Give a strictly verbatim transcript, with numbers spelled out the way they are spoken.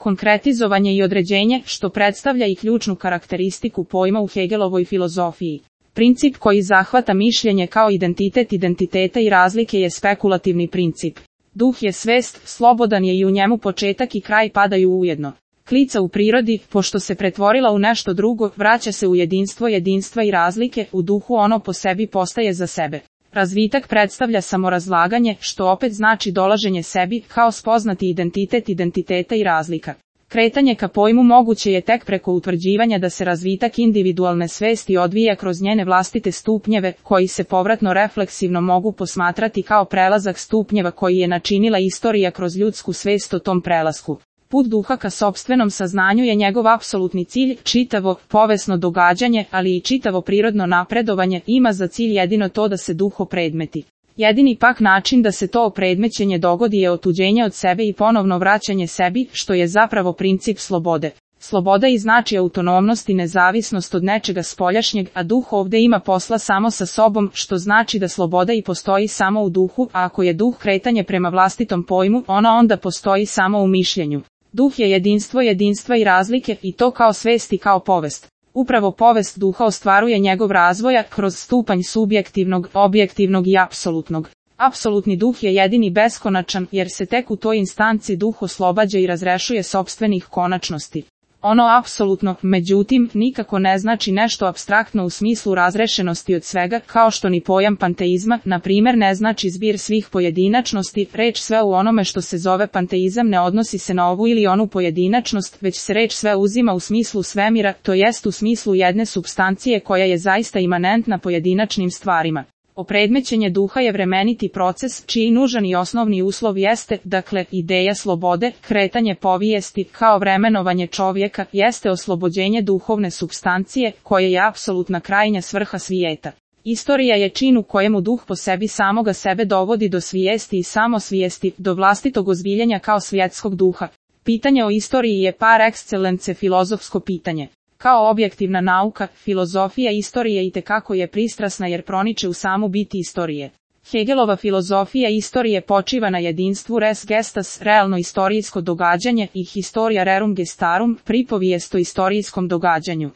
konkretizovanje i određenje, što predstavlja i ključnu karakteristiku pojma u Hegelovoj filozofiji. Princip koji zahvata mišljenje kao identitet identiteta i razlike je spekulativni princip. Duh je svest, slobodan je i u njemu početak i kraj padaju ujedno. Klica u prirodi, pošto se pretvorila u nešto drugo, vraća se u jedinstvo jedinstva i razlike, u duhu ono po sebi postaje za sebe. Razvitak predstavlja samorazlaganje, što opet znači dolaženje sebi, kao spoznati identitet identiteta i razlika. Kretanje ka pojmu moguće je tek preko utvrđivanja da se razvitak individualne svesti odvija kroz njene vlastite stupnjeve, koji se povratno refleksivno mogu posmatrati kao prelazak stupnjeva koji je načinila istorija kroz ljudsku svest o tom prelasku. Put duha ka sopstvenom saznanju je njegov apsolutni cilj, čitavo, povesno događanje, ali i čitavo prirodno napredovanje, ima za cilj jedino to da se duh opredmeti. Jedini pak način da se to opredmećenje dogodi je otuđenje od sebe i ponovno vraćanje sebi, što je zapravo princip slobode. Sloboda i znači autonomnost i nezavisnost od nečega spoljašnjeg, a duh ovde ima posla samo sa sobom, što znači da sloboda i postoji samo u duhu, a ako je duh kretanje prema vlastitom pojmu, ona onda postoji samo u mišljenju. Duh je jedinstvo jedinstva i razlike, i to kao svest i kao povest. Upravo povest duha ostvaruje njegov razvoja kroz stupanj subjektivnog, objektivnog i apsolutnog. Apsolutni duh je jedini beskonačan, jer se tek u toj instanci duh oslobađa i razrešuje sopstvenih konačnosti. Ono apsolutno, međutim, nikako ne znači nešto apstraktno u smislu razrešenosti od svega, kao što ni pojam panteizma, na primjer, ne znači zbir svih pojedinačnosti. Reč sve u onome što se zove panteizam ne odnosi se na ovu ili onu pojedinačnost, već se reč sve uzima u smislu svemira, to jest u smislu jedne supstancije koja je zaista imanentna pojedinačnim stvarima. Opredmećenje duha je vremeniti proces, čiji nužan i osnovni uslov jeste, dakle, ideja slobode, kretanje povijesti, kao vremenovanje čovjeka, jeste oslobođenje duhovne supstancije, koje je apsolutna krajnja svrha svijeta. Istorija je čin u kojemu duh po sebi samoga sebe dovodi do svijesti i samosvijesti, do vlastitog ozbiljenja kao svjetskog duha. Pitanje o istoriji je par excellence filozofsko pitanje. Kao objektivna nauka, filozofija istorije itekako je pristrasna jer proniče u samu biti istorije. Hegelova filozofija istorije počiva na jedinstvu res gestas, realno istorijsko događanje, i historia rerum gestarum, pripovijest o istorijskom događanju.